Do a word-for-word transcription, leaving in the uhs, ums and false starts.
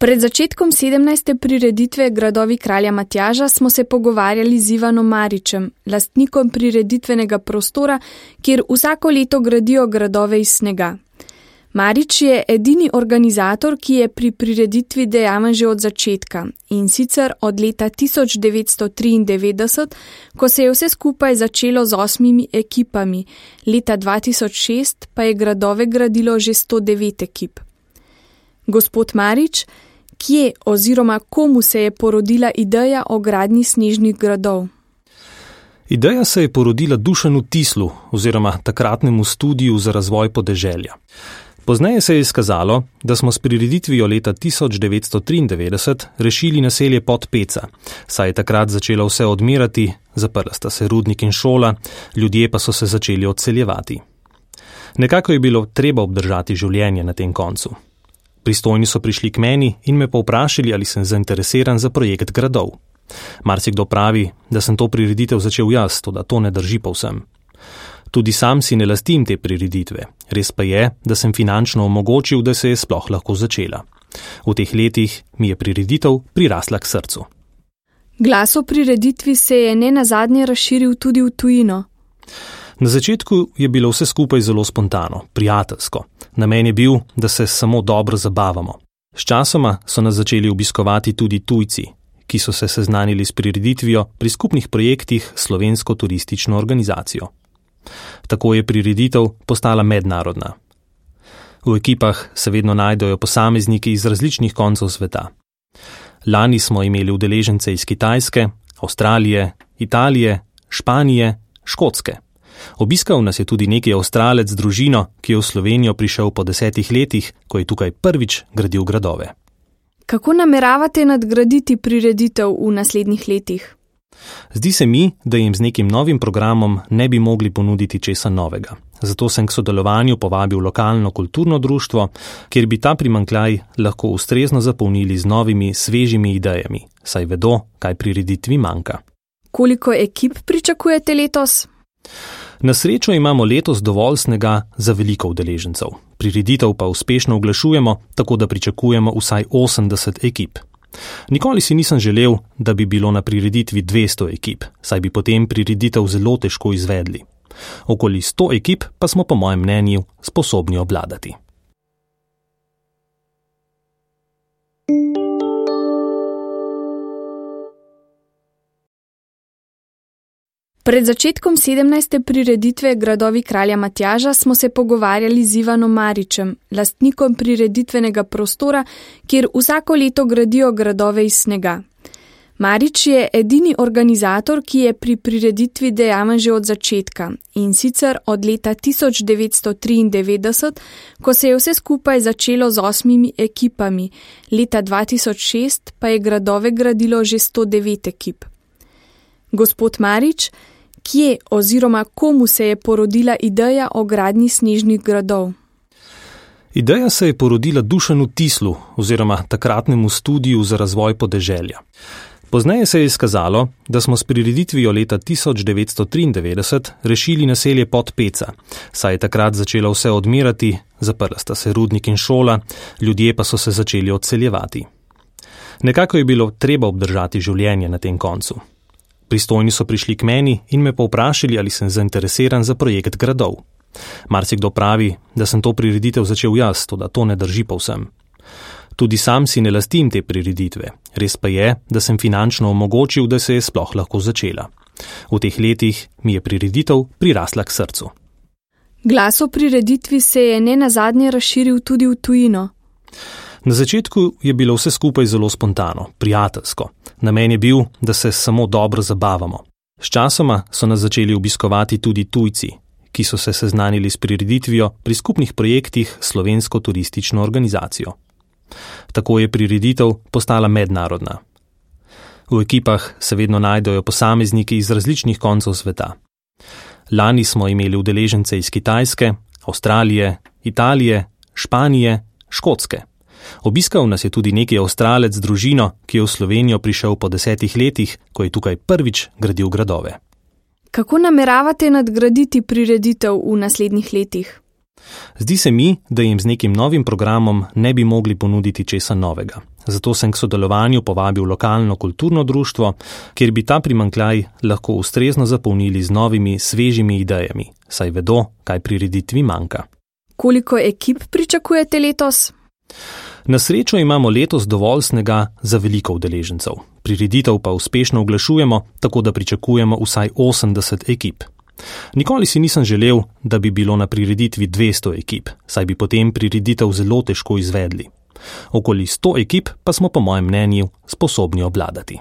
Pred začetkom sedemnajste prireditve Gradovi kralja Matjaža smo se pogovarjali z Ivanom Maričem, lastnikom prireditvenega prostora, kjer vsako leto gradijo gradove iz snega. Marič je edini organizator, ki je pri prireditvi dejaven že od začetka, in sicer od leta tisoč devetsto triindevetdeset, ko se je vse skupaj začelo z osmimi ekipami, leta dva tisoč šest pa je gradove gradilo že sto devet ekip. Gospod Marič, kje oziroma komu se je porodila ideja o gradnji snežnih gradov? Ideja se je porodila Dušanu Tislu oziroma takratnemu studiju za razvoj podeželja. Pozneje se je izkazalo, da smo s prireditvijo leta tisoč devetsto triindevetdeset rešili naselje Podpeca, saj je takrat začelo vse odmirati, zaprla sta se rudnik in šola, ljudje pa so se začeli odseljevati. Nekako je bilo treba obdržati življenje na tem koncu. Pristojni so prišli k meni in me povprašali, ali sem zainteresiran za projekt gradov. Marsikdo pravi, da sem to prireditev začel jaz, toda to ne drži povsem. Tudi sam si ne lastim te prireditve, res pa je, da sem finančno omogočil, da se je sploh lahko začela. V teh letih mi je prireditev prirasla k srcu. Glas o prireditvi se je nenazadnje razširil tudi v tujino. Na začetku je bilo vse skupaj zelo spontano, prijateljsko. Namen je bil, da se samo dobro zabavamo. Sčasoma so nas začeli obiskovati tudi tujci, ki so se seznanili s prireditvijo pri skupnih projektih s Slovensko turistično organizacijo. Tako je prireditev postala mednarodna. V ekipah se vedno najdejo posamezniki iz različnih koncev sveta. Lani smo imeli udeležence iz Kitajske, Avstralije, Italije, Španije, Škotske. Obiskal nas je tudi neki Avstralec z družino, ki je v Slovenijo prišel po desetih letih, ko je tukaj prvič gradil gradove. Kako nameravate nadgraditi prireditev v naslednjih letih? Zdi se mi, da jim z nekim novim programom ne bi mogli ponuditi česa novega. Zato sem k sodelovanju povabil lokalno kulturno društvo, kjer bi ta primanjkljaj lahko ustrezno zapolnili z novimi, svežimi idejami, saj vedo, kaj prireditvi manjka. Koliko ekip pričakujete letos? Na srečo imamo letos dovolj snega za veliko udeležencev. Prireditev pa uspešno oglašujemo, tako da pričakujemo vsaj osemdeset ekip. Nikoli si nisem želel, da bi bilo na prireditvi dvesto ekip, saj bi potem prireditev zelo težko izvedli. Okoli sto ekip pa smo po mojem mnenju sposobni obvladati. Pred začetkom sedemnajste prireditve Gradovi kralja Matjaža smo se pogovarjali z Ivanom Maričem, lastnikom prireditvenega prostora, kjer vsako leto gradijo gradove iz snega. Marič je edini organizator, ki je pri prireditvi dejaven že od začetka, in sicer od leta tisoč devetsto triindevetdeset, ko se je vse skupaj začelo z osmimi ekipami, leta dva tisoč šest pa je gradove gradilo že sto devet ekip. Gospod Marič, kje oziroma komu se je porodila ideja o gradnji snežnih gradov? Ideja se je porodila Dušanu Tislu oziroma takratnemu studiju za razvoj podeželja. Pozneje se je izkazalo, da smo s prireditvijo leta tisoč devetsto triindevetdeset rešili naselje Podpeca, saj je takrat začelo vse odmirati, zaprla sta se rudnik in šola, ljudje pa so se začeli odseljevati. Nekako je bilo treba obdržati življenje na tem koncu. Pristojni so prišli k meni in me povprašali, ali sem zainteresiran za projekt gradov. Marsikdo pravi, da sem to prireditev začel jaz, toda to ne drži povsem. Tudi sam si ne lastim te prireditve, res pa je, da sem finančno omogočil, da se je sploh lahko začela. V teh letih mi je prireditev prirasla k srcu. Glas o prireditvi se je nenazadnje razširil tudi v tujino. Na začetku je bilo vse skupaj zelo spontano, prijateljsko. Namen je bil, da se samo dobro zabavamo. Sčasoma so nas začeli obiskovati tudi tujci, ki so se seznanili s prireditvijo pri skupnih projektih s Slovensko turistično organizacijo. Tako je prireditev postala mednarodna. V ekipah se vedno najdejo posamezniki iz različnih koncev sveta. Lani smo imeli udeležence iz Kitajske, Avstralije, Italije, Španije, Škotske. Obiskal nas je tudi neki Avstralec z družino, ki je v Slovenijo prišel po desetih letih, ko je tukaj prvič gradil gradove. Kako nameravate nadgraditi prireditev v naslednjih letih? Zdi se mi, da jim z nekim novim programom ne bi mogli ponuditi česa novega. Zato sem k sodelovanju povabil lokalno kulturno društvo, kjer bi ta primanjkljaj lahko ustrezno zapolnili z novimi, svežimi idejami, saj vedo, kaj prireditvi manjka. Koliko ekip pričakujete letos? Na srečo imamo letos dovolj snega za veliko udeležencev. Prireditev pa uspešno oglašujemo, tako da pričakujemo vsaj osemdeset ekip. Nikoli si nisem želel, da bi bilo na prireditvi dvesto ekip, saj bi potem prireditev zelo težko izvedli. Okoli sto ekip pa smo po mojem mnenju sposobni obvladati.